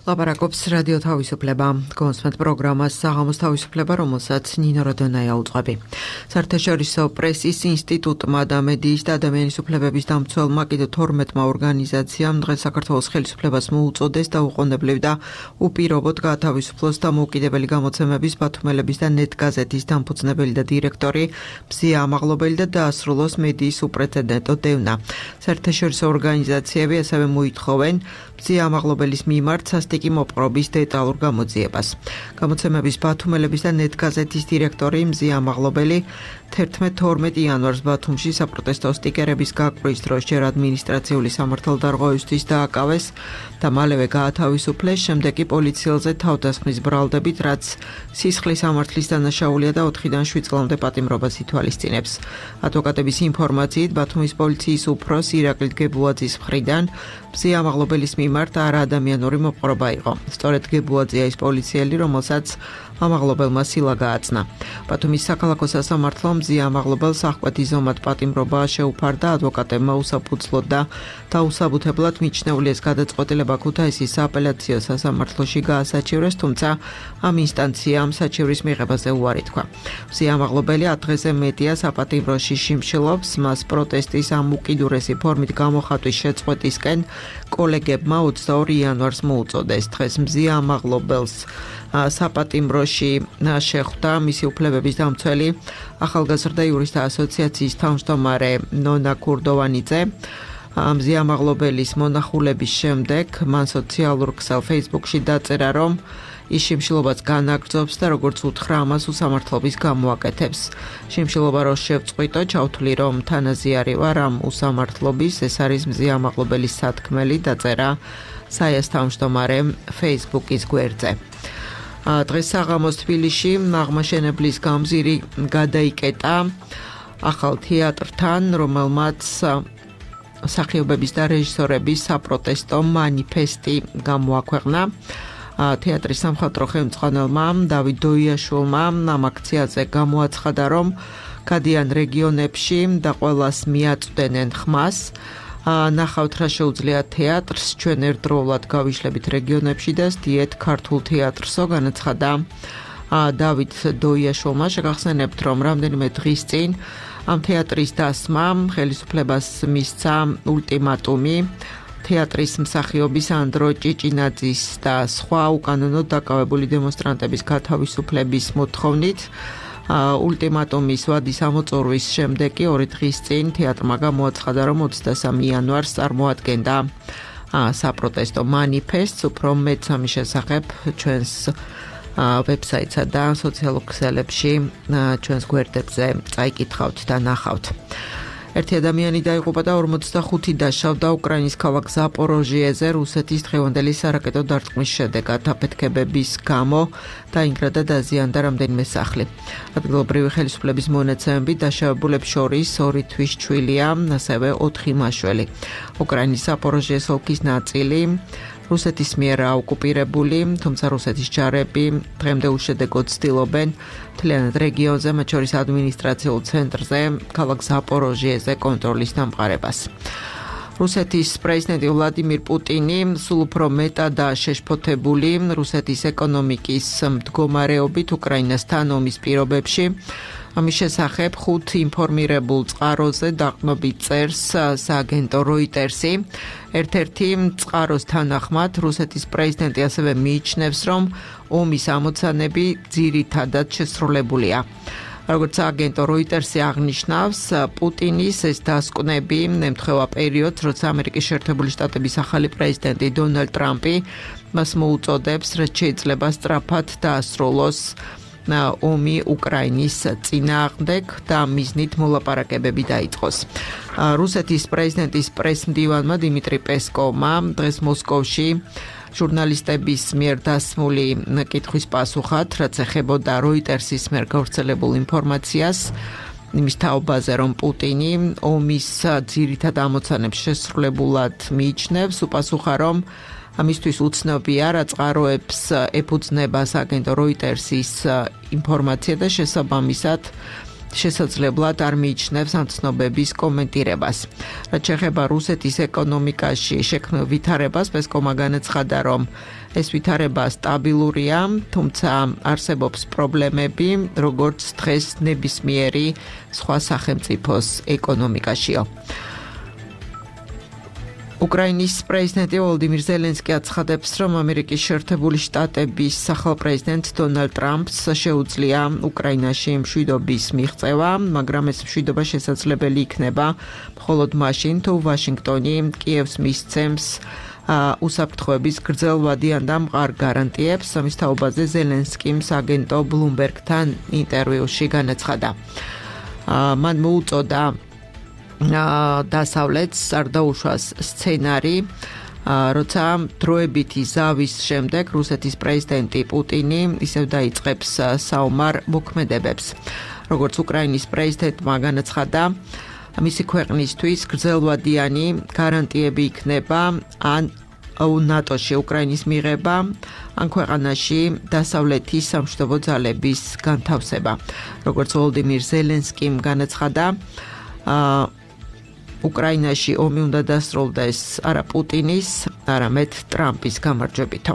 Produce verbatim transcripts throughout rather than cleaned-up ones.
ლაპარაკობს რადიო თავისუფლება. კონსმეთ პროგრამას საღამოს თავისუფლება, რომელსაც ნინო როდონაია უძღვები. საერთაშორისო პრესის ინსტიტუტმა და მედიის და ადამიანის უფლებების დამცველმა კიდევ თორმეტმა ორგანიზაციამ დღეს საქართველოს ხელისუფლებას მოუწოდეს დაუყოვნებლივ და უპირობოდ გაათავისუფლოს დამოუკიდებელი გამოცემების, ბათუმელების და ნეტგაზეთის დამფუძნებელი და დირექტორი მზია ამაღლობელი და დაასრულოს მედიის უპრეცედენტო დევნა. საერთაშორისო ორგანიზაციები ასევე მოითხოვენ მზია ამაღლობელის მიმართ სასტიკი მოპყრობის დეტალურ გამოძიებას. გამოცემების ბათუმელების და ნეტგაზეთის დირექტორი მზია ამაღლობელი თერთმეტ თორმეტ იანვარს ბათუმში საპროტესტო სტიკერების გაკვრის დროს ჯერ ადმინისტრაციული სამართალდარღვევისთვის დააკავეს და მალევე გაათავისუფლეს, შემდეგ კი პოლიციელზე თავდასხმის ბრალდებით, რაც სისხლის სამართლის დანაშაულია და ოთხიდან შვიდ წლამდე პატიმრობას ითვალისწინებს. ადვოკატების ინფორმაციით, ბათუმის პოლიციის უფროს ირაკლი გებუაძის მხრიდან მზია ამაღლობელის მიმართ არაადამიანური მოპყრობა იყო. სწორედ გებუაძია ის პოლიციელი, რომელსაც ამაღლობელმა სილა გააცნა. ბათუმის საქალაქო სასამართლომ მზია ამაღლობელს აღკვეთი ზომად პატიმრობა შეუფარდა, ადვოკატებმა უსაფუძვლოდ და დაუსაბუთებლად მიჩნეული ეს გადაწყვეტილება ქუთაისის სააპელაციო სასამართლოში გაასაჩივრეს, თუმცა ამ ინსტანციამ საჩივრის მიღებაზე უარი თქვა. მზია ამაღლობელი ათ დღეზე მეტია საპატიმროში შიმშილობს, მას პროტესტის ამ უკიდურესი ფორმით გამოხატვის შეწყვეტისკენ კოლეგებმა ოცდაორი იანვარს მოუწოდეს. დღეს მზია ამაღლობელს საპატიმროში შეხვდა მისი უფლებების დამცველი ახალგაზრდა იურისტთა ასოციაციის თავმჯდომარე ნონა ქურდოვანიძე. მზია ამაღლობელის მონახულების შემდეგ მან სოციალურ ქსელ Facebook-ში დაწერა, რომ ის შიმშილობას განაგრძობს და როგორც უთხრა, ამას უსამართლობის გამოაკეთებს. შიმშილობა რო შევწყვიტო, ჩავთვლი, რომ თანაზიარი ვარ ამ უსამართლობის, ეს არის მზია ამაღლობელის სათქმელი, დაწერა საიას თავმჯდომარემ Facebook-ის გვერდზე. დღეს საღამოს თბილისში აღმაშენებლის გამზირი გადაიკეტა ახალ თეატრთან, რომელმაც მსახიობების და რეჟისორების საპროტესტო მანიფესტი გამოაქვეყნა. თეატრის სამხატვრო ხელმძღვანელმა დავით დოიაშვილმა ამ აქციაზე გამოაცხადა, რომ გადიან რეგიონებში და ყველას მიაწვდენენ ხმას. ნახავთ რა შეუძლია თეატრს, ჩვენ ერთდროულად გავიშლებით რეგიონებში და სდიეთ ქართულ თეატრსო, განაცხადა დავით დოიაშვილმა. შეგახსენებთ, რომ რამდენიმე დღის წინ ამ თეატრის დასმამ ხელისუფლებას მისცა ულტიმატუმი თეატრის მსახიობის ანდრო ჭიჭინაძის და სხვა უკანონოდ დაკავებული დემონსტრანტების გათავისუფლების მოთხოვნით. ულტიმატუმის ვადის ამოწურვის შემდეგ კი ორი დღის წინ თეატრმა გამოაცხადა, რომ ოცდასამი იანვარს წარმოადგენდა საპროტესტო მანიფესტს. უფრო მეტს ამის შესახებ ჩვენს ვებსაიტსა და სოციალურ ქსელებში ჩვენს გვერდებზე წაიკითხავთ და ნახავთ. ერთი ადამიანი დაიღუპა და ორმოცდახუთი დაშავდა უკრაინის ქალაქ ზაპოროჟიეზე რუსეთის დღევანდელი სარაკეტო დარტყმის შედეგად. აფეთქებების გამო დაინგრა და დაზიანდა რამდენიმე სახლი. ადგილობრივი ხელისუფლების მონაცემებით დაშავებულებს შორის ორი თვის ჩვილია, ასევე ოთხი მაშველი. უკრაინის ზაპოროჟიეს ოლქის ნაწილი რუსეთის მიერ აოკუპირებული, თუმცა რუსეთის ჯარები დღემდე უშედეგოდ ცდილობენ მთლიანად რეგიონზე, მათ შორის ადმინისტრაციულ ცენტრზე, ქალაქ ზაპოროჟიეზე კონტროლის დამყარებას. რუსეთის პრეზიდენტი ვლადიმირ პუტინი სულ უფრო მეტადაა შეშფოთებული რუსეთის ეკონომიკის მდგომარეობით უკრაინასთან ომის პირობებში. ამის შესახებ ხუთ ინფორმირებულ წყაროზე დაყრდნობით წერს სააგენტო როიტერსი. ერთ-ერთი წყაროს თანახმად რუსეთის პრეზიდენტი ასევე მიიჩნევს, რომ ომის ამოცანები ძირითადად შესრულებულია. როგორც სააგენტო როიტერსი აღნიშნავს, პუტინის ეს დასკვნები ემთხვევა პერიოდს, როცა ამერიკის შეერთებული შტატების ახალი პრეზიდენტი დონალდ ტრამპი მას მოუწოდებს, რაც შეიძლება სწრაფად დაასრულოს ომი უკრაინის წინააღმდეგ და მიზნით მოლაპარაკებები დაიწყოს. რუსეთის პრეზიდენტის პრესმდივანმა დიმიტრი პესკოვმა დღეს მოსკოვში ჟურნალისტების მიერ დასმული კითხვის პასუხად, რაც ეხებოდა როიტერსის მიერ გავრცელებულ ინფორმაციას, იმის თაობაზე, რომ პუტინი ომის ძირითად ამოცანებს შესრულებულად მიიჩნევს, უპასუხა, რომ ამისთვის უცნობია, რა წყაროებს ეფუძნება სააგენტო როიტერსის ინფორმაცია და შესაბამისად შესაძლებლად არ მიიჩნევს ამ ცნობების კომენტირებას. რაც შეეხება რუსეთის ეკონომიკაში შექმნილ ვითარებას, პესკოვმა განაცხადა, რომ ეს ვითარება სტაბილურია, თუმცა არსებობს პრობლემები, როგორც დღეს ნებისმიერი სხვა სახელმწიფოს ეკონომიკაშიო. უკრაინის პრეზიდენტი ვოლოდიმირ ზელენსკი აცხადებს, რომ ამერიკის შეერთებული შტატების სახელპრეზიდენტ დონალდ ტრამპს შეუძლია უკრაინაში მშვიდობის მიღწევა, მაგრამ ეს მშვიდობა შესაძლებელი იქნება მხოლოდ მაშინ, თუ ვაშინგტონი კიევს მისცემს უსაფრთხოების გრძელვადიან და მყარ გარანტიებს. ამის თაობაზე ზელენსკიმ აგენტო ბლუმბერგთან ინტერვიუში განაცხადა. მან მოუწოდა დასავლეთს არ დაუშვას სცენარი, როცა დროებითი ზავის შემდეგ რუსეთის პრეზიდენტი პუტინი ისევ დაიწყებს საომარ მოქმედებებს. როგორც უკრაინის პრეზიდენტმა განაცხადა, მისი ქვეყნისთვის გრძელვადიანი გარანტიები იქნება ან ნატოში უკრაინის მიღება, ან ქვეყანაში დასავლეთის სამშვიდობო ძალების განთავსება. როგორც ვოლოდიმირ ზელენსკიმ განაცხადა, უკრაინაში ომი უნდა დასრულდეს არა პუტინის, არამედ ტრამპის გამარჯვებითო.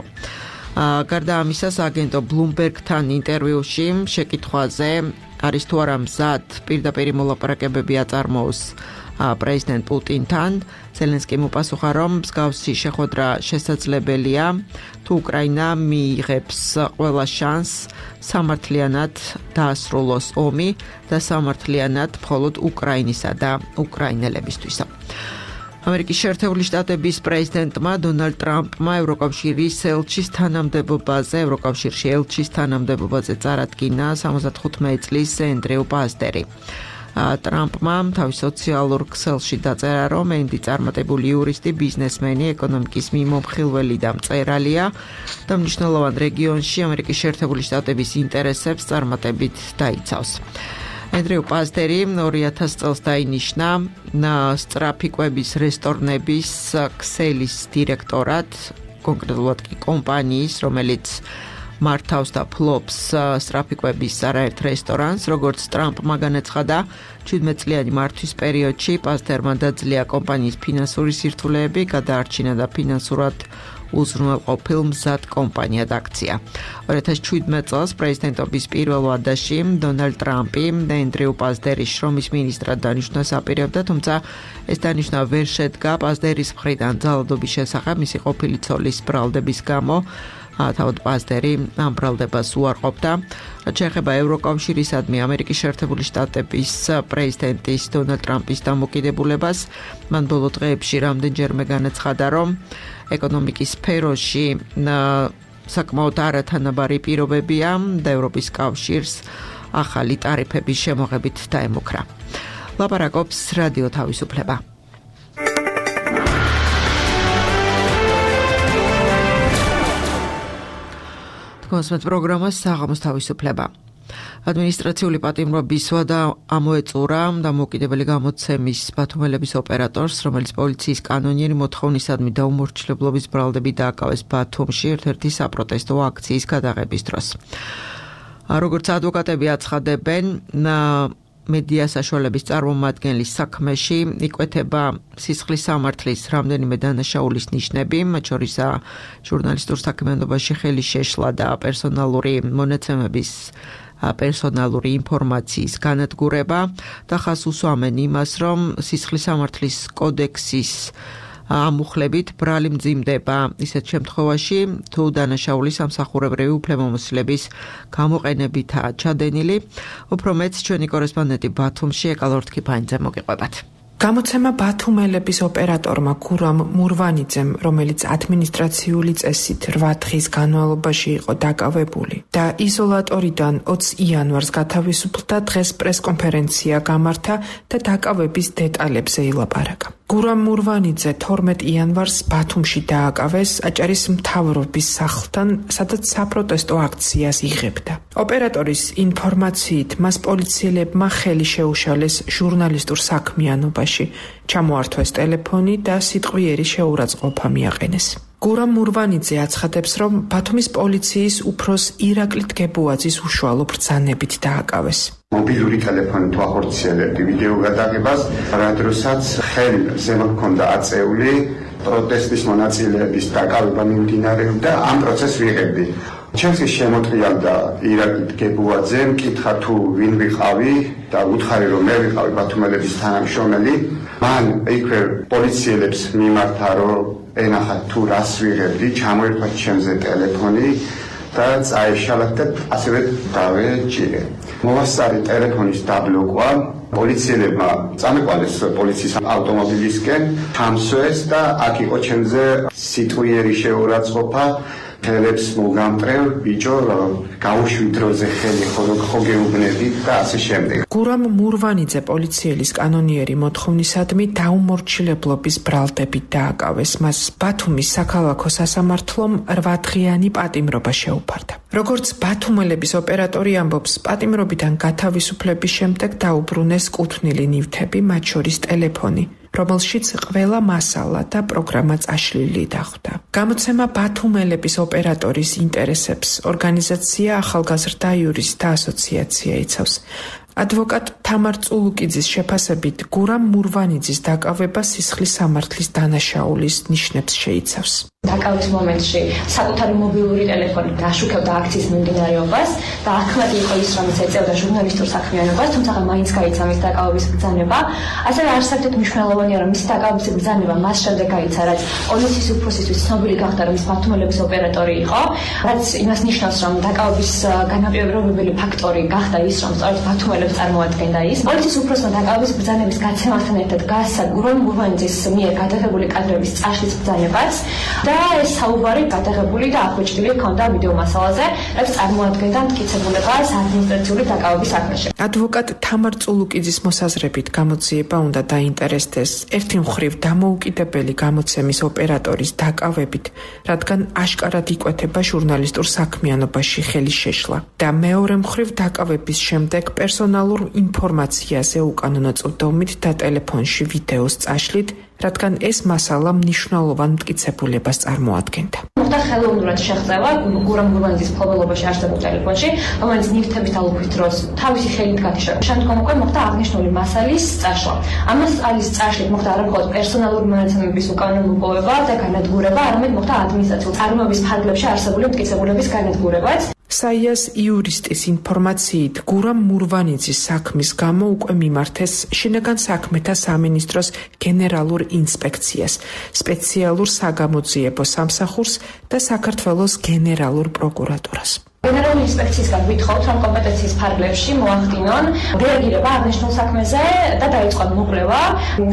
გარდა ამისა, აგენტო ბლუმბერგთან ინტერვიუში შეკითხვაზე არის თუ არა მზად პირდაპირ მოლაპარაკებები აწარმოოს პრეზიდენტ პუტინთან, ზელენსკიმ უპასუხა, რომ მსგავსი შეხვედრა შესაძლებელია, თუ უკრაინა მიიღებს ყველა შანსს სამართლიანად დაასრულოს ომი და სამართლიანად მხოლოდ უკრაინისა და უკრაინელებისთვისა. ამერიკის შეერთებული შტატების პრეზიდენტმა დონალდ ტრამპმა ევროკავშირის ელჩის თანამდებობაზე, ევროკავშირში ელჩის თანამდებობაზე წარადგინა სამოცდახუთმეტი წლის ენდრიუ პასტერი. ტრამპმა თავის სოციალურ ქსელში დაწერა, რომ ენდი წარმატებული იურისტი, ბიზნესმენი, ეკონომიკის მიმომხილველი და მწერალია და მნიშვნელოვან რეგიონში ამერიკის შეერთებული შტატების ინტერესებს წარმატებით დაიცავს. ენდრიუ პასტერი ორი ათასი წელს დაინიშნა სწრაფი კვების რესტორნების ქსელის დირექტორად, კონკრეტულად კი კომპანიის, რომელიც მართავს და ფლობს სწრაფი კვების არაერთ რესტორანს. როგორც ტრამპმა განაცხადა, შვიდმეტწლიანი მართვის პერიოდში პასტერმა დაძლია კომპანიის ფინანსური სირთულეები, გადაარჩინა და ფინანსურად უზრუნველყოფილ მზად კომპანიად აქცია. ორი ათასი შვიდმეტი წელს პრეზიდენტობის პირველ ვადაში დონალდ ტრამპი ენდრიუ პასტერის შრომის მინისტრად დანიშნვას აპირებდა, თუმცა ეს დანიშვნა ვერ შედგა პასტერის მხრიდან ძალადობის შესახებ მისი ყოფილი ცოლის ბრალდების გამო. თავად პასტერი ამ ბრალდებას უარყოფდა. რაც შეეხება ევროკავშირისადმი ამერიკის შეერთებული შტატების პრეზიდენტის დონალდ ტრამპის დამოკიდებულებას, მან ბოლო დღეებში რამდენჯერმე განაცხადა, რომ ეკონომიკის სფეროში საკმაოდ არათანაბარი პირობებია და ევროპის კავშირს ახალი ტარიფების შემოღებით დაემუქრა. ლაპარაკობს რადიო თავისუფლება. კონსმეთ პროგრამას საღამოს თავისუფლება. ადმინისტრაციული პატიმრობის ვადა ამოეწურა დამოუკიდებელი გამოცემის ბათუმელების ოპერატორს, რომელიც პოლიციის კანონიერი მოთხოვნისადმი დაუმორჩილებლობის ბრალდები დააკავეს ბათუმში ერთ-ერთი საპროტესტო აქციის გადაღების დროს. როგორც ადვოკატები აცხადებენ, მედია საშუალების წარმომადგენლის საქმეში იკვეთება სისხლის სამართლის რამდენიმე დანაშაულის ნიშნები, მათ შორისაა ჟურნალისტურ საქმიანობაში ხელი შეშლა და პერსონალური მონაცემების პერსონალური ინფორმაციის განადგურება და ხაზს უსვამენ იმას, რომ სისხლის სამართლის კოდექსის ამუხლებით ბრალი მძიმდება ისეთ შემთხვევაში, თუ დანაშაული სამსახურებრივი უფლებამოსილების გამოყენებითაა ჩადენილი. უფრო მეც ჩვენი კორესპონდენტი ბათუმში ეკალორთ ქიფანიძე მოგიყვებათ. გამოცემა ბათუმელების ოპერატორმა გურამ მურვანიძემ, რომელიც ადმინისტრაციული წესით რვა დღის განმავლობაში იყო დაკავებული და იზოლატორიდან ოცი იანვარს გათავისუფლდა, დღეს პრესკონფერენცია გამართა და დაკავების დეტალებზე ილაპარაკა. გურამ მურვანიძე თორმეტი იანვარს ბათუმში დააკავეს აჭარის მთავრობის სახლთან, სადაც საპროტესტო აქციას იღებდა. ოპერატორის ინფორმაციით, მას პოლიციელებმა ხელი შეუშალეს ჟურნალისტურ საქმიანობაში, ჩამოართვეს ტელეფონი და სიტყვიერი შეურაცხყოფა მიაყენეს. გურამ მურვანიძე აცხადებს, რომ ბათუმის პოლიციის უფროს ირაკლი დგებუაძის უშუალო ბრძანებით დააკავეს. მობილური ტელეფონით ვახორციელებდი ვიდეო გადაღებას, რა დროსაც ხელზე მქონდა აწეული პროტესტის მონაწილეების დაკავება მიმდინარეობდა, ამ პროცესს ვიღებდი. ჩემს შემოტრიალდა ირაკლი გებუაძე, მკითხა თუ ვინ ვიყავი და უთხარი რომ მე ვიყავი ბათუმელების თანამშრომელი. მან იქვე პოლიციელებს მიმართა რომ ენახათ თუ რას ვიღებდი, ჩამოერქვა ჩემზე ტელეფონი და წაეშალათ და ასევე დავეჭირე. მოვასწარი ტელეფონის დაბლოკვა, პოლიციელებმა წამეყვალეს პოლიციის ავტომობილისკენ, ჩამსვეს და აქ იყო ჩემზე სიტყვიერი შეურაცხყოფა, ხელებს მოგამტრევ, ბიჭო, გაუშვი დროზე ხელი ხო გეუბნები და ასე შემდეგ. გურამ მურვანიძე პოლიციელის კანონიერი მოთხოვნისადმი დაუმორჩილებლობის ბრალდებით დააკავეს. მას ბათუმის საქალაქო სასამართლომ რვადღიანი პატიმრობა შეუფარდა. როგორც ბათუმელების ოპერატორი ამბობს, პატიმრობიდან გათავისუფლების შემდეგ დაუბრუნეს კუთვნილი ნივთები, მათ შორის ტელეფონი, რომელშიც ყველა მასალა და პროგრამა წაშლილი დახვდა. გამოცემა ბათუმელების ოპერატორის ინტერესებს ორგანიზაცია ახალგაზრდა იურისტთა ასოციაცია იცავს. ადვოკატ თამარ წულუკიძის შეფასებით, გურამ მურვანიძის დაკავება სისხლის სამართლის დანაშაულის ნიშნებს შეიცავს. დაკავების მომენტში საკუთარი მობილური ტელეფონი დაშუქებდა აქციის მიმდინარეობას და ახმადი იყო ის, რომელიც ეწეოდა ჟურნალისტურ საქმიანობას, თუმცა მაინც გაიცა მის დაკავების ბრძანება. ასევე არასდროს მნიშვნელოვანია, რომ მისი დაკავების ბრძანება მას შემდეგ გაიცა, რაც პოლიციის უფროსისთვის ცნობილი გახდა, რომ ის ბათუმელების ოპერატორი იყო, რაც იმას ნიშნავს, რომ დაკავების განაპირობებელი ფაქტორი გახდა ის, რომ სწორედ ბათუმელებს წარმოადგენდა ის. პოლიციის უფროსმა დაკავების ბრძანების გაცემასთან ერთად გასცა გურამ მურვანიძის მიერ გადაღებული კადრების წაშლის ბრძანებაც და ეს საუბარი გადაღებული და ახვეჭდილი ჰქონდა ვიდეო მასალაზე, რაც წარმოადგენდა მტკიცებულებას ადმინისტრაციული დაკავების საქმეში. ადვოკატ თამარ წულუკიძის მოსაზრებით გამოძიება უნდა დაინტერესდეს ერთი მხრივ დამოუკიდებელი გამოცემის ოპერატორის დაკავებით, რადგან აშკარად იკვეთება ჟურნალისტურ საქმიანობაში ხელის შეშლა და მეორე მხრივ დაკავების შემდეგ პერსონალურ ინფორმაციაზე უკანონო წვდომით და ტელეფონში ვიდეოს წაშლით, რადგან ეს მასალა მნიშვნელოვან მტკიცებულებას წარმოადგენდა. მოხდა ხელოვნურად შეღწევა გურამ მურვანიძის მფლობელობაში არსებულ ტელეფონში, რომელიც ნივთების დალუქვის დროს თავისი ხელით გათიშა. შემდგომ უკვე მოხდა აღნიშნული მასალის წაშლა. ამ მასალის წაშლით მოხდა არა მხოლოდ პერსონალური მონაცემების უკანონო მოპოვება და განადგურება, არამედ მოხდა ადმინისტრაციულ წარმოების ფარგლებში არსებული მტკიცებულების განადგურებაც. საიას იურისტის ინფორმაციით, გურამ მურვანიძის საქმის გამო უკვე მიმართეს შინაგან საქმეთა სამინისტროს გენერალურ ინსპექციას, სპეციალურ საგამოძიებო სამსახურს და საქართველოს გენერალურ პროკურატურას. გენერალური ინსპექციისგან ვითხოვთ, რომ კომპეტენციის ფარგლებში მოახდინონ რეაგირება აღნიშნულ საქმეზე და დაიწყონ მოკვლევა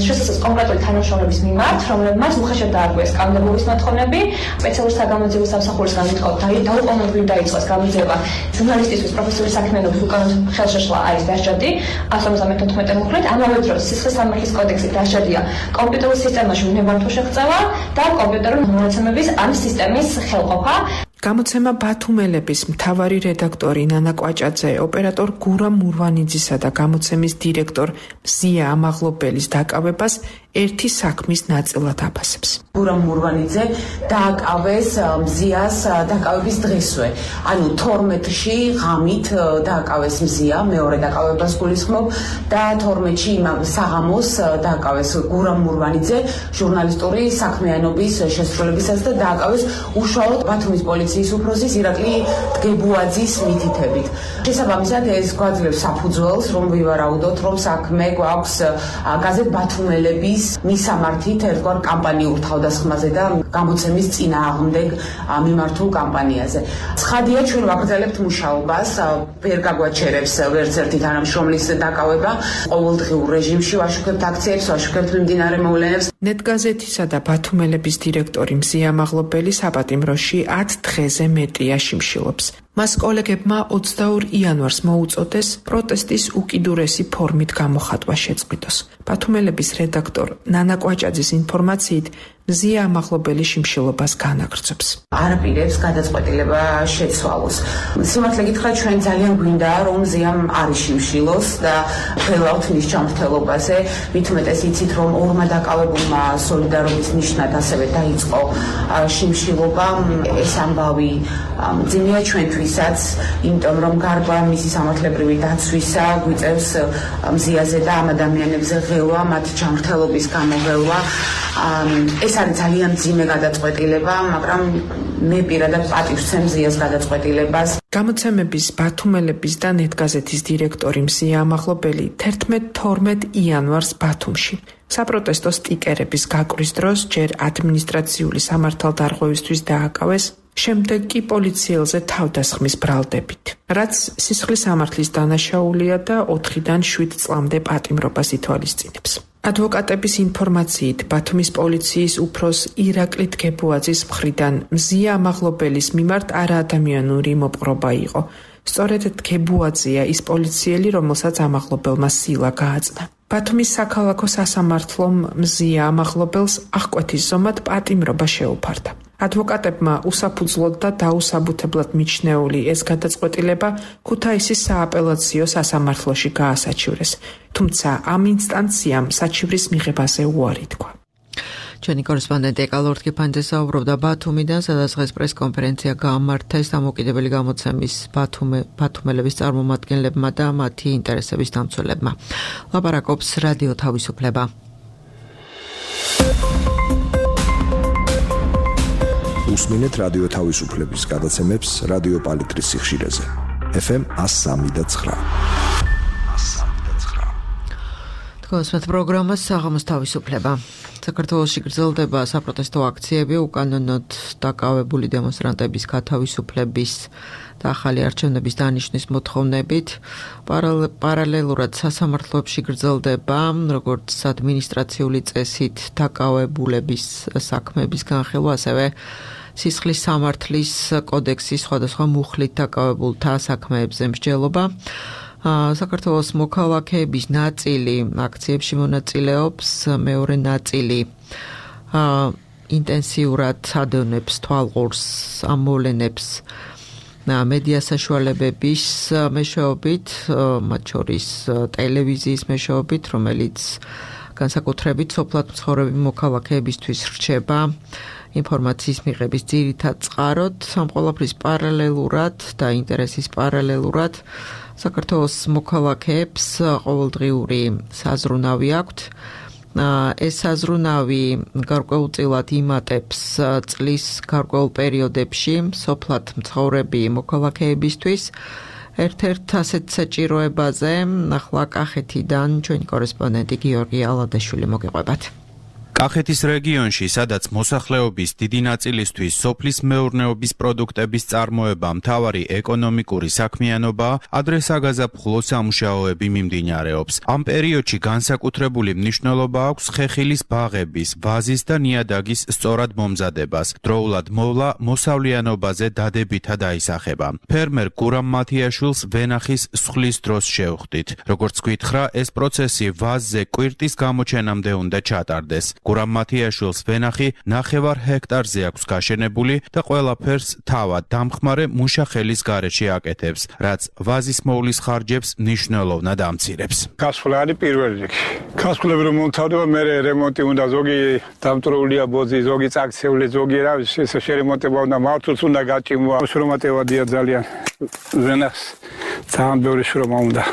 შესაძლოა კონკრეტული თანამშრომლების მიმართ, რომლებმაც უხეშად დაარღვიეს კანონმდებლობის მოთხოვნები. სპეციალურ საგამოძიებო სამსახურისგან ვითხოვთ დაუყოვნებლივ დაიწყოს გამოძიება ჟურნალისტისთვის პროფესიული საქმიანობის უკანონო ხელშეშლა არის დასჯადი ათას ორმოცდამეტ თოთხმეტი მუხლით. ამავე დროს სისხლის სამართლის კოდექსით დასჯადია კომპიუტერულ სისტემაში უნებართვო შეღწევა და კომპიუტერული მონაცემების ამ სისტემის ხელყოფა. გამოცემა ბათუმელების მთავარი რედაქტორი ნანა კვაჭაძე, ოპერატორ გურამ მურვანიძისა და გამოცემის დირექტორ მზია ამაღლობელის დაკავებას ერთი საქმის ნაწილად აფასებს. გურამ მურვანიძე დააკავეს მზიას დაკავების დღესვე. ანუ თორმეტში ღამით დააკავეს მზია, მეორე დაკავებას გულისხმობ და თორმეტში იმავე საღამოს დააკავეს გურამ მურვანიძე ჟურნალისტური საქმიანობის შესრულებისას და დააკავეს უშუალოდ ბათუმის პოლიციის უფროსის ირაკლი დგებუაძის მითითებით. შესაბამისად ეს გვაძლევს საფუძველს, რომ ვივარაუდოთ, რომ საქმე გვაქვს გაზეთ ბათუმელების მისამართით ერთგვარ კამპანიურ თავდასხმაზე და გამოცემის წინააღმდეგ მიმართულ კამპანიაზე. ცხადია, ჩვენ ვაგრძელებთ მუშაობას, ვერ გაგვაჩერებს ვერც ერთი თანამშრომლის დაკავება. ყოველდღიურ რეჟიმში ვაშუქებთ აქციებს, ვაშუქებთ მიმდინარე მოვლენებს. ნეტგაზეთისა და ბათუმელების დირექტორი მზია ამაღლობელი საპატიმროში ათ დღეზე მეტია შიმშილობს. მას კოლეგებმა ოცდაორ იანვარს მოუწოდეს პროტესტის უკიდურესი ფორმით გამოხატვა შეწყვიტოს. ბათუმელების რედაქტორ ნანა კვაჭაძის ინფორმაციით, მზია ამაღლობელი შიმშილობას განაგრძობს. არაპირებს გადაწყვეტილება შეცვალოს. სიმართლე გითხრათ, ჩვენ ძალიან გვინდა, რომ მზიამ არ იშიმშილოს და ველავთ მის ჯანმრთელობაზე. მით უმეტეს იცით, რომ ორმა დაკავებულმა სოლიდარობის ნიშნად ასევე დაიწყო შიმშილობა. ეს ამბავი მძიმეა ჩვენთვის. დღისაც, იმიტომ რომ გარკვეულ მისი სამართლებრივი დაცვისა გვიწევს მზიაზე და ამ ადამიანებზე ღელვა, მათ ჯანმრთელობის გამოღელვა. ეს არის ძალიან მძიმე გადაწყვეტილება, მაგრამ მე პირადად პატივს ვცემ მზიას გადაწყვეტილებას. გამოცემების ბათუმელების და ნეტგაზეთის დირექტორი მზია ამაღლობელი თერთმეტ თორმეტ იანვარს ბათუმში საპროტესტო სტიკერების გაკვრის დროს ჯერ ადმინისტრაციული სამართალდარღვევისთვის დააკავეს, შემდეგ კი პოლიციელზე თავდასხმის ბრალდებით, რაც სისხლის სამართლის დანაშაულია და ოთხიდან შვიდ წლამდე პატიმრობას ითვალისწინებს. ადვოკატების ინფორმაციით, ბათუმის პოლიციის უფროს ირაკლი გებუაძის მხრიდან მზია ამაღლობელის მიმართ არაადამიანური მოპყრობა იყო. სწორედ გებუაძეა ის პოლიციელი, რომელსაც ამაღლობელმა სილა გააწნა. ბათუმის საქალაქო სასამართლომ მზია ამაღლობელს აღკვეთის ზომად პატიმრობა შეუფარდა. ადვოკატებმა უსაფუძვლოდ და დაუსაბუთებლად მიჩნეული ეს გადაწყვეტილება ქუთაისის სააპელაციო სასამართლოში გაასაჩივრეს, თუმცა ამ ინსტანციამ საჩივრის მიღებაზე უარი თქვა. ჩვენი კორესპონდენტი ეკალორ თქიფანიძე საუბრობდა ბათუმიდან, სადაც დღეს პრესკონფერენცია გაამართეს დამოუკიდებელი გამოცემის ბათუმელების წარმომადგენლებმა და მათი ინტერესების დამცველებმა. ლაპარაკობს რადიო თავისუფლება. უსმინეთ რადიო თავისუფლების გადაცემებს რადიო პალიტრის სიხშირეზე. ეფ ემ one oh three point nine. თქვენს პროგრამას საღამოს თავისუფლება. საქართველოში გრძელდება საპროტესტო აქციები უკანონოდ დაკავებული დემონსტრანტების გათავისუფლების და ახალი არჩევნების დანიშნვის მოთხოვნებით. პარალელურად სასამართლოებში გრძელდება როგორც ადმინისტრაციული წესით დაკავებულების საქმეების განხილვა, ასევე სისხლის სამართლის კოდექსის სხვადასხვა მუხლით დაკავებულთა საქმეებზე მსჯელობა. საქართველოს მოქალაქეების ნაწილი აქციებში მონაწილეობს, მეორე ნაწილი ინტენსიურად ადევნებს თვალყურს ამ მოვლენებს მედია საშუალებების მეშვეობით, მათ შორის ტელევიზიის მეშვეობით, რომელიც განსაკუთრებით სოფლად მცხოვრები მოქალაქეებისთვის რჩება ინფორმაციის მიღების ძირითად წყაროდ. ამ ყველაფრის პარალელურად და ინტერესის პარალელურად საქართველოს მოქალაქეებს ყოველდღიური საზრუნავი აქვთ. ეს საზრუნავი გარკვეულწილად იმატებს წლის გარკვეულ პერიოდებში სოფლად მცხოვრები მოქალაქეებისთვის. ერთ-ერთ ასეთ საჭიროებაზე ახლა კახეთიდან ჩვენი კორესპონდენტი გიორგი ალადაშვილი მოგიყვებათ. კახეთის რეგიონში, სადაც მოსახლეობის დიდი ნაწილისთვის სოფლის მეურნეობის პროდუქტების წარმოება მთავარი ეკონომიკური საქმიანობა, ადრე საგაზაფხულო სამუშაოები მიმდინარეობს. ამ პერიოდში განსაკუთრებული მნიშვნელობა აქვს ხეხილის ბაღების, ვაზის და ნიადაგის სწორად მომზადებას. დროულად მოვლა მოსავლიანობაზე დადებითად აისახება. ფერმერ გურამ მათიაშვილს ვენახის სხვლის დროს შევხვდით. როგორც გითხრა, ეს პროცესი ვაზზე კვირტის გამოჩენამდე უნდა ჩატარდეს. გურამ მათიაშვილს ვენახი ნახევარ ჰექტარზე აქვს გაშენებული და ყველაფერს თავად დამხმარე მუშახელის გარეშე აკეთებს, რაც ვაზის მოვლის ხარჯებს მნიშვნელოვნად ამცირებს. გასვლა არის პირველ რიგში. გასვლები რომ მომთავრდება, მე რემონტი უნდა, ზოგი დამტროულია ბოძი, ზოგი წაქცეული, ზოგი რა ეს შერემონტება უნდა, მართლაც უნდა გაჭიმვა. შრომატევადია ძალიან. ვენახს ძალიან ბევრი შრომა უნდა.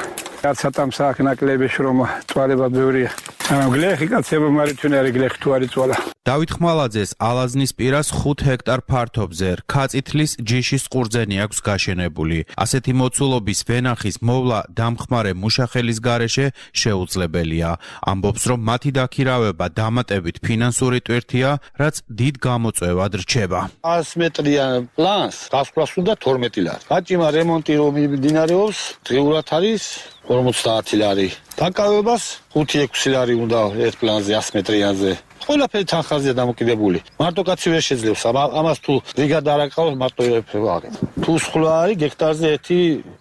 კაცათამ საქმნაკლები შრომა, წვალება ბევრია. გლეხი კაცება მარითუნარი გლეხი თუ არის წვალა. დავით ხმალაძეს ალაზნის პირას ხუთ ჰექტარ ფართობზე რქაწითლის ჯიშის ყურძენი აქვს გაშენებული. ასეთი მოცულობის ვენახის მოვლა დამხმარე მუშახელის გარეშე შეუძლებელია. ამბობს, რომ მათი დაქირავება დამატებით ფინანსური ტვირთია, რაც დიდ გამოწვევად რჩება. ას მეტრია პლანს, გასვლას უნდა თორმეტი ლარი. გაჭიმა რემონტი რომ მიმდინარეობს, დღეურად არის ორმოცდაათი ლარი. დაკავებას ხუთი ექვსი ლარი უნდა ერთ პლანზე ას მეტრიანზე. ყველაფერი თანხაზეა დამოკიდებული. მარტო კაცი ვერ შეძლებს. ამას თუ ბრიგადა არ აკავებს, მარტო ვაგებ. თუ სხვა არის გექტარზე ერთი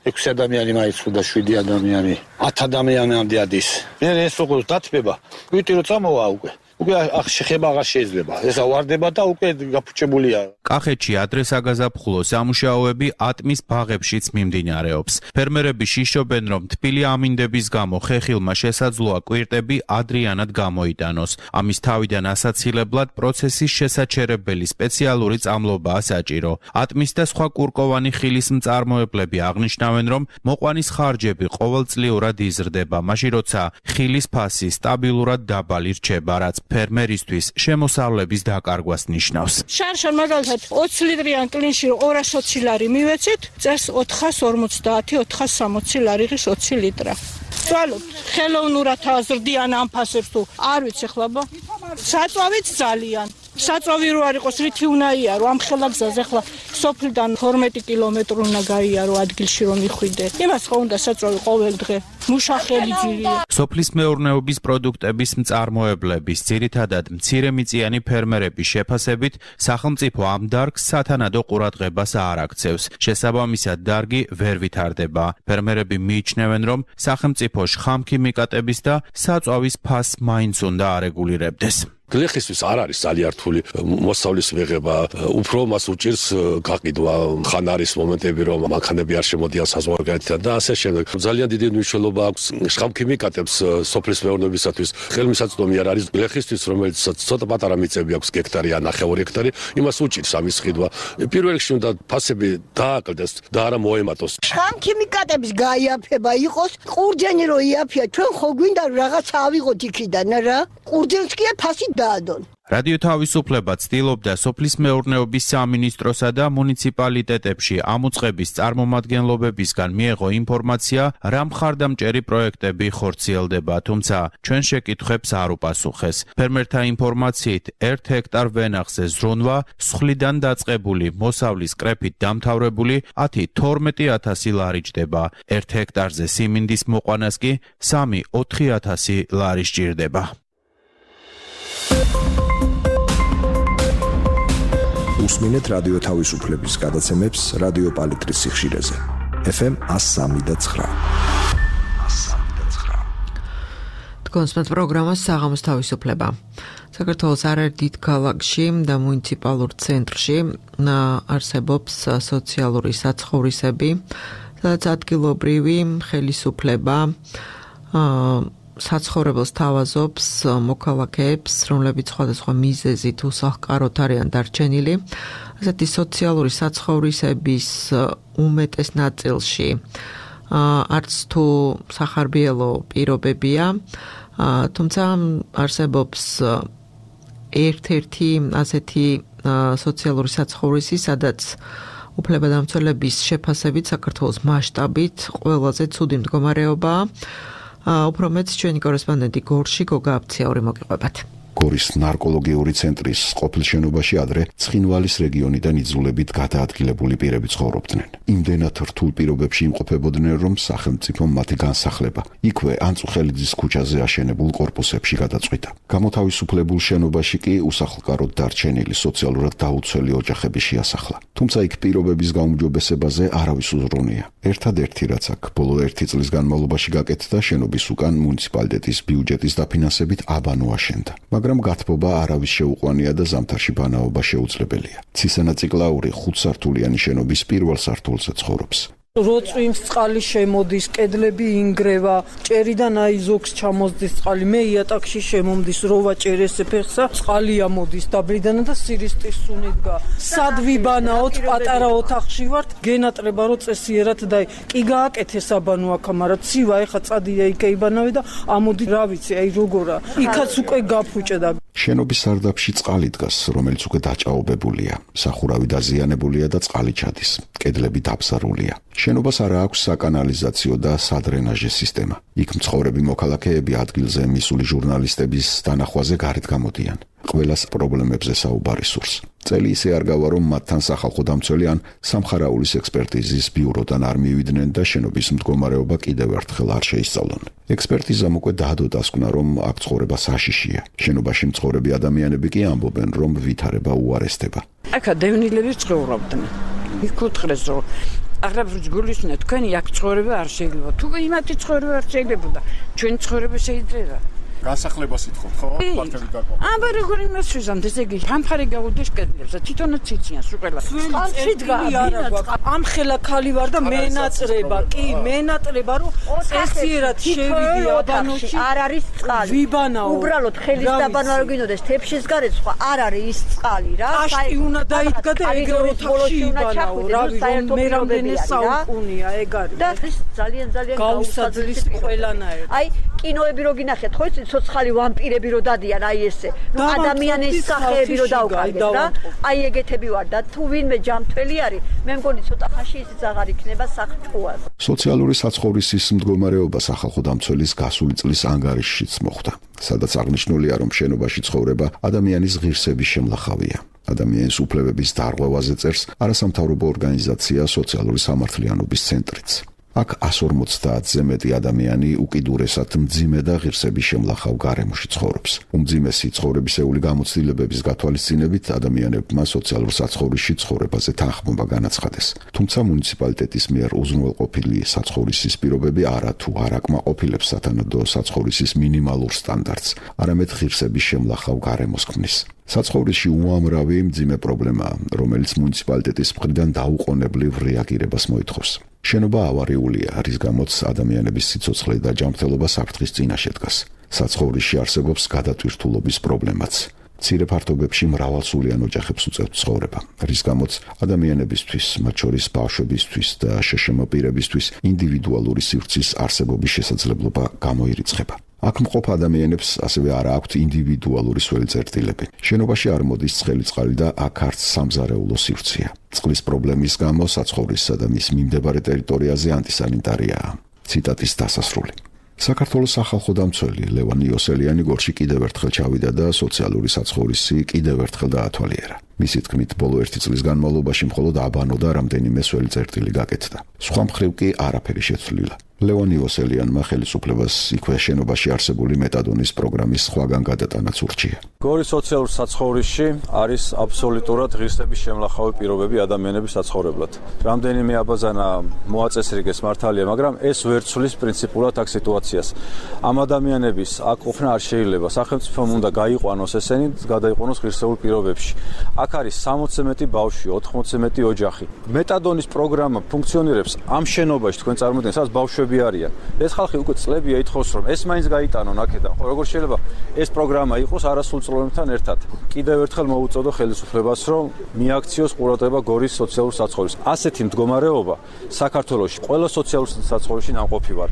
ექვსი ადამიანი მაინც უნდა შვიდი ადამიანი. ათ ადამიანამდე ადის. მე ეს როგორ დათბება? კვიტი რო წამოვა უკვე. უკვე შეხება აღარ შეიძლება. ესა ვარდება და უკვე გაფუჭებულია. კახეთში ადრესაგაზაფხულო სამუშაოები ატმის ბაღებშიც მიმდინარეობს. ფერმერები შიშობენ, რომ თბილი ამინდების გამო ხეხილმა შესაძლოა კვირტები ადრიანად გამოიტანოს. ამის თავიდან ასაცილებლად პროცესის შესაჩერებელი სპეციალური წამლობაა საჭირო. ატმის და სხვა კურკოვანი ხილის მწარმოებლები აღნიშნავენ, რომ მოყვანის ხარჯები ყოველწლიურად იზრდება, მაშინ როცა ხილის ფასი სტაბილურად დაბალი რჩება, რაც ფერმერისთვის შემოსავლების დაკარგვას ნიშნავს. შარშან მაგალითად ოცი ლიტრიან კლინში ორასი ოცი ლარი მივეცით, წელს ოთხასი ორმოცდაათი ოთხასი სამოცი ლარი ღირს ოცი ლიტრა. ვცვალობთ ხელოვნურად აზრდიან ამ ფასებს თუ არ ვიცი ხლაბა. საწვავით ძალიან. საწვავი რო არ იყოს რითი უნდა იარო ამ ხელაგზაზე ხლა სოფლიდან თორმეტი კილომეტრი უნდა გაიარო ადგილში რომ მიხვიდე. იმას ხო უნდა საწვავი ყოველ დღე. მუშახელი ძირია. სოფლის მეურნეობის პროდუქტების მწარმოებლების, ძირითადად მცირემიწიანი ფერმერების შეფასებით, სახელმწიფო ამ დარგს სათანადო ყურადღებას არ აქცევს. შესაბამისად, დარგი ვერ ვითარდება. ფერმერები მიიჩნევენ, რომ სახელმწიფო შხამქიმიკატების და საწვავის ფასს მაინც უნდა არეგულირებდეს. გლეხისთვის არ არის ძალიან რთული მოსავლის მიღება, უფრო მას უჭირს გაყიდვა, ხან არის მომენტები, რომ მანქანები არ შემოდიან საზღვარგარეთიდან და ასე შემდეგ. ძალიან დიდი მნიშვნელობა აქვს შხამქიმიკატებს სოფლის მეურნეობისათვის. ხელმისაწვდომი არ არის გლეხისთვის, რომელიც ცოტა პატარა მიწები აქვს გექტარი ან ნახევარი ჰექტარი, იმას უჭირს ამის ყიდვა. პირველ რიგში უნდა ფასები დააკლდეს და არა მოემატოს. შხამქიმიკატების გაიაფება იყოს, ყურძენი რო იაფია, ჩვენ ხო გვინდა რაღაც ავიღოთ იქიდან რა? ყურძენს კი ფასი დაადონ. რადიო თავისუფლება ცდილობდა სოფლის მეურნეობის სამინისტროსა და მუნიციპალიტეტებში ამოწყების წარმომადგენლობებისგან მიეღო ინფორმაცია, რა მხარდამჭერი პროექტები ხორციელდება, თუმცა ჩვენ შეკითხვებს არ უპასუხეს. ფერმერთა ინფორმაციით, ერთ ჰექტარ ვენახზე ზრუნვა, სხლიდან დაწყებული მოსავლის კრეფით დამთავრებული ათი თორმეტი ათასი ლარი ჯდება. ერთ ჰექტარზე სიმინდის მოყვანას კი სამი ოთხი ათასი ლარი სჭირდება. უსმინეთ რადიო თავისუფლების გადაცემებს რადიო პალიტრის სიხშირეზე. ეფ ემ one oh three და nine. თქვენს პროგრამას საღამოს თავისუფლება. საქართველოს არაერთ დიდ ქალაქში და მუნიციპალურ ცენტრში არსებობს სოციალური საცხოვრისები, სადაც ადგილობრივი ხელისუფლება საცხოვრებელს თავაზობს მოქალაქეებს, რომლებიც სხვადასხვა მიზეზით უსახლკაროდ არიან დარჩენილი. ასეთი სოციალური საცხოვრისების უმეტეს ნაწილში არც თუ სახარბიელო პირობებია, თუმცა არსებობს ერთ-ერთი ასეთი სოციალური საცხოვრისი, სადაც უფლებადამცველების შეფასებით საქართველოს მასშტაბით ყველაზე ცუდი მდგომარეობაა. უფრო მეც ჩვენი კორესპონდენტი გორში გოგა აფციაური მოგიყვებათ. გორის ნარკოლოგიური ცენტრის ყოფილ შენობაში ადრე ცხინვალის რეგიონიდან იძულებით გადაადგილებული პირები ცხოვრობდნენ. იმდენად რთულ პირობებში იმყოფებოდნენ, რომ სახელმწიფომ მათი განსახლება იქვე ანწუხელიძის ქუჩაზე აშენებულ კორპუსებში გადაწყვიტა. გამოთავისუფლებულ შენობაში კი უსახლკაროდ დარჩენილი სოციალურად დაუცველი ოჯახები შეასახლა. თუმცა იქ პირობების გაუმჯობესებაზე არავის უზრუნია. ერთადერთი რაც აქ ბოლო ერთი წლის განმავლობაში გაკეთდა, შენობის უკან მუნიციპალიტეტის ბიუჯეტის დაფინანსებით აბანო აშენდა. მაგრამ გათბობა არავის შეუყვანია და ზამთარში ბანაობა შეუძლებელია. ცისანაწიკლაური ხუთსართულიანი შენობის პირველ სართულზე ცხოვრობს. როწვიმს წყალი შემოდის, კედლები ინგრევა, ჭერიდან აი ზოგს ჩამოსდის წყალი, მე იატაკში შემომდის, როვა ჭერესე ფეხსა, წყალი ამოდის დაბლიდან და სირისტის სუნიდგა. სად ვიბანაოთ, პატარა ოთახში ვართ, გენატრება რო წესიერად და კი გააკეთეს აბანო აქ, მაგრამ ცივა ეხა წადია იქ იბანავე და ამოდი რა ვიცი, აი როგორა. იქაც უკვე გაფუჭდა. შენობის სარდაფში წყალი დგას, რომელიც უკვე დაჭაობებულია. სახურავი დაზიანებულია და წყალი ჩადის. კედლები დაბზარულია. შენობას არ აქვს საკანალიზაციო და სადრენაჟე სისტემა. იქ მცხოვრები მოქალაქეები ადგილზე მისული ჟურნალისტების დანახვაზე გარეთ გამოდიან. ყველას პრობლემებზე საუბარი სურს. წელი ისე არ გავა, რომ მათთან სახალხო დამცველი ან სამხარაულის ექსპერტიზის ბიუროდან არ მივიდნენ და შენობის მდგომარეობა კიდევ ერთხელ არ შეისწავლონ. ექსპერტიზამ უკვე დაადო დასკვნა, რომ აქ ცხოვრება საშიშია. შენობაში მცხოვრები ადამიანები კი ამბობენ, რომ ვითარება უარესდება. აქა დევნილები ცხოვრობდნენ. იქ უთხრეს რომ აღრაბ გულისნა თქვენი აქ ცხოვრება არ შეიძლება. თუ იმათი ცხოვრება არ შეიძლება, ჩვენ ცხოვრება შეიძლება. განსახლებას ითხოვთ, ხო? ფართები გაყვა. აბა როგორ იმას შევზამთ, ესე იგი, ამფარი გაუდეშ კედლებს და თვითონაც ციციან სუყელა. წყალში დგა ამ ხელა ქალი ვარ და მენატრება, კი, მენატრება, რომ წესიერად შევიდი აბანოში. არ არის წყალი. ვიბანაო. უბრალოდ ხელის დაბანა რო გინდოდეს, თეფშის გარეთ სხვა არ არის ის წყალი რა. აშტი უნდა დაიდგა და ეგრე ოთახში იბანაო, რავი, რომ მე რამდენი საუკუნია ეგ არის. და ის ძალიან ძალიან გაუსაძლის ყველანაირ. აი, კინოები რო გინახეთ, ხო იცით, ცოცხალი ვამპირები რო დადიან, აი ესე. ნუ ადამიანის სახეები რო დაუკარგეთ რა. აი ეგეთები ვარ და თუ ვინმე ჯამთველი არის, მე მგონი ცოტა ხანში ისიც აღარ იქნება საფრთხოას. სოციალური საცხოვრისის მდგომარეობა სახალხო დამცველის გასული წლის ანგარიშშიც მოხვდა, სადაც აღნიშნულია, რომ შენობაში ცხოვრება ადამიანის ღირსების შემლახავია. ადამიანის უფლებების დარღვევაზე წერს არასამთავრობო ორგანიზაცია სოციალური სამართლიანობის ცენტრიც. აქ εκατს ორმოცდაათზე მეტი ადამიანი უკიდურესად მძიმე და ღირსების შემლახავ გარემოში ცხოვრობს. უმძიმესი ცხოვრებისეული გამოცდილებების გათვალისწინებით ადამიანებმა სოციალურ საცხოვრისში ცხოვრებაზე თანხმობა განაცხადეს. თუმცა მუნიციპალიტეტის მიერ უზრუნველყოფილი საცხოვრისის პირობები არა თუ არ აკმაყოფილებს სათანადო საცხოვრისის მინიმალურ სტანდარტს, არამედ ღირსების შემლახავ გარემოს ქმნის. საცხოვრისში უამრავი მძიმე პრობლემაა, რომელიც მუნიციპალიტეტის მხრიდან დაუყოვნებლივ რეაგირებას მოითხოვს. შენობა ავარიულია, რის გამოც ადამიანების სიცოცხლე და ჯანმრთელობა საფრთხის წინაშე დგას. საცხოვრისში არსებობს გადატვირთულობის პრობლემაც. მცირე ფართობებში მრავალსულიან ოჯახებს უწევთ ცხოვრება, რის გამოც ადამიანებისთვის, მათ შორის ბავშვებისთვის და შეშემო პირებისთვის ინდივიდუალური სივრცის არსებობის შესაძლებლობა გამოირიცხება. აქ მყოფ ადამიანებს ასევე არ აქვთ ინდივიდუალური სველი წერტილები. შენობაში არ მოდის ცხელი წყალი და აქ არც სამზარეულო სივრცეა. წყლის პრობლემის გამო საცხოვრისსა და მის მიმდებარე ტერიტორიაზე ანტისანიტარიაა. ციტატის დასასრული. საქართველოს სახალხო დამცველი ლევან იოსელიანი გორში კიდევ ერთხელ ჩავიდა და სოციალური საცხოვრისი კიდევ ერთხელ დაათვალიერა. მისი თქმით, ბოლო ერთი წლის განმავლობაში მხოლოდ აბანო და რამდენიმე სველი წერტილი გაკეთდა. სხვა მხრივ კი არაფერი შეცვლილა. ლევან იოსელიანმა ხელისუფლებას იქვე შენობაში არსებული მეტადონის პროგრამის სხვაგან გადატანაც ურჩია. გორის სოციალურ საცხოვრისში არის აბსოლუტურად ღირსების შემლახავი პირობები ადამიანების საცხოვრებლად. რამდენიმე აბაზანა მოაწესრიგეს მართალია, მაგრამ ეს ვერ ცვლის პრინციპულად აქ სიტუაციას. ამ ადამიანების აქ ყოფნა არ შეიძლება. სახელმწიფომ უნდა გაიყვანოს ესენი, გადაიყვანოს ღირსეულ პირობებში. აქ არის სამოცზე მეტი ბავშვი, ოთხმოცზე მეტი ოჯახი. მეტადონის პროგრამა ფუნქციონირებს ამ შენობაში, თქვენ წარმოიდგინეთ, სადაც ბავშვები არიან. ეს ხალხი უკვე წლებია ითხოვს, რომ ეს მაინც გაიტანონ აქედან. ხო, როგორ შეიძლება ეს პროგრამა იყოს არასრულწლოვანებთან ერთად. კიდევ ერთხელ მოუწოდო ხელისუფლებას, რომ მიაქციოს ყურადღება გორის სოციალურ საცხოვრისს. ასეთი მდგომარეობა საქართველოში ყველა სოციალურ საცხოვრისში ნამყოფი ვარ.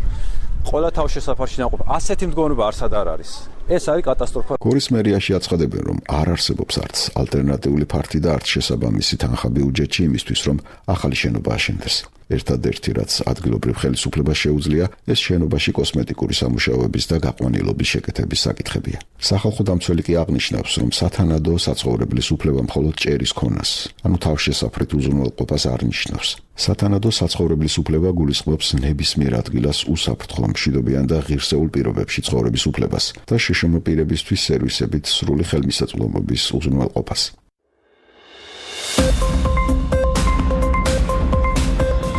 ყველა თავშესაფარში ნამყოფი. ასეთი მდგომარეობა არსად არ არის. ეს არის კატასტროფა. გორის მერიაში აცხადებენ, რომ არ არსებობს არც ალტერნატიული ფართი და არც შესაბამისი თანხა ბიუჯეტში იმისთვის, რომ ახალი შენობა აშენდეს. ერთადერთი, რაც ადგილობრივ ხელისუფლებას შეუძლია, ეს შენობაში კოსმეტიკური სამუშაოების და გაყვანილობის შეკეთების საკითხებია. სახალხო დამცველი კი აღნიშნავს, რომ სათანადო საცხოვრებლის უფლება მხოლოდ ჭერის ქონას, ანუ თავშესაფრით უზრუნველყოფას არ ნიშნავს. სათანადო საცხოვრებლის უფლება გულისხმობს ნებისმიერ ადგილას უსაფრთხო, მშვიდობიან და ღირსეულ პირობებში ცხოვრების უფლებას და შეშემო პირებისთვის სერვისებით სრული ხელმისაწვდომობის უზრუნველყოფას.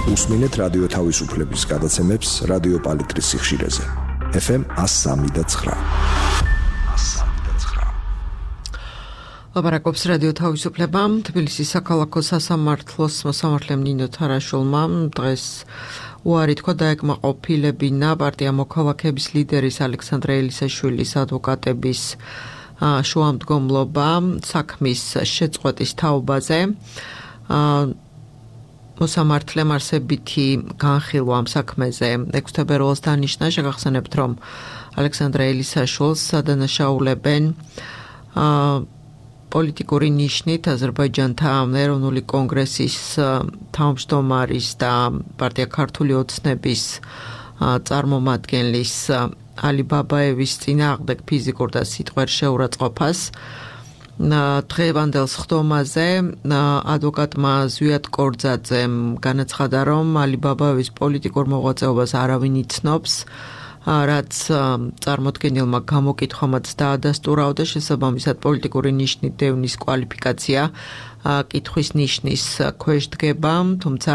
უსმინეთ რადიო თავისუფლების გადაცემებს რადიო პალიტრის სიხშირეზე. ეფ ემ εκατს სამი და ცხრა. ლაპარაკობს რადიო თავისუფლება. თბილისის საქალაქო სასამართლოს მოსამართლემ ნინო თარაშულმა დღეს უარი თქვა დაეკმაყოფილებინა პარტია მოქალაქეების ლიდერის ალექსანდრე ელისაშვილის ადვოკატების შუამდგომლობა საქმის შეწყვეტის თაობაზე. მოსამართლემ არსებითი განხილვა ამ საქმეზე ექვსი თებერვალს დანიშნა. შეგახსენებთ, რომ ალექსანდრე ელისაშვილს ადანაშაულებენ პოლიტიკური ნიშნით აზერბაიჯანთა ეროვნული კონგრესის თავმჯდომარის და პარტია ქართული ოცნების წარმომადგენლის ალი ბაბაევის წინააღმდეგ ფიზიკურ და სიტყვერ შეურაცხყოფას. დღევანდელ სხდომაზე ადვოკატმა ზვიად კორძაძემ განაცხადა, რომ ალი ბაბაევის პოლიტიკურ მოღვაწეობას არავინ იცნობს, რაც წარმოდგენილმა გამოკითხვამაც დაადასტურა და შესაბამისად პოლიტიკური ნიშნით დევნის კვალიფიკაცია კითხვის ნიშნის ქვეშ დგება, თუმცა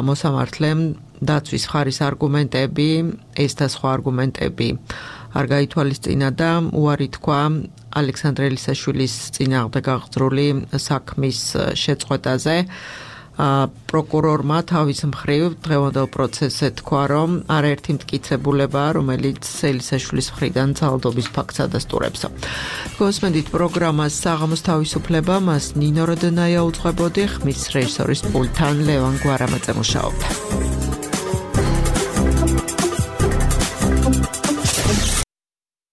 მოსამართლემ დაცვის მხარის არგუმენტები, ეს და სხვა არგუმენტები არ გაითვალისწინა და უარი თქვა ალექსანდრე ელისაშვილის წინააღმდეგ აღძრული საქმის შეწყვეტაზე. პროკურორმა თავის მხრივ დღევანდელ პროცესზე თქვა, რომ არაერთი მტკიცებულებაა, რომელიც ელისაშვილის მხრიდან ძალადობის ფაქტს ადასტურებსო. გოსმენდით პროგრამას საღამოს თავისუფლება, მას ნინო როდონაია უძღვებოდი, ხმის რეჟისორის პულტთან ლევან გვარამაძე მუშაობდა.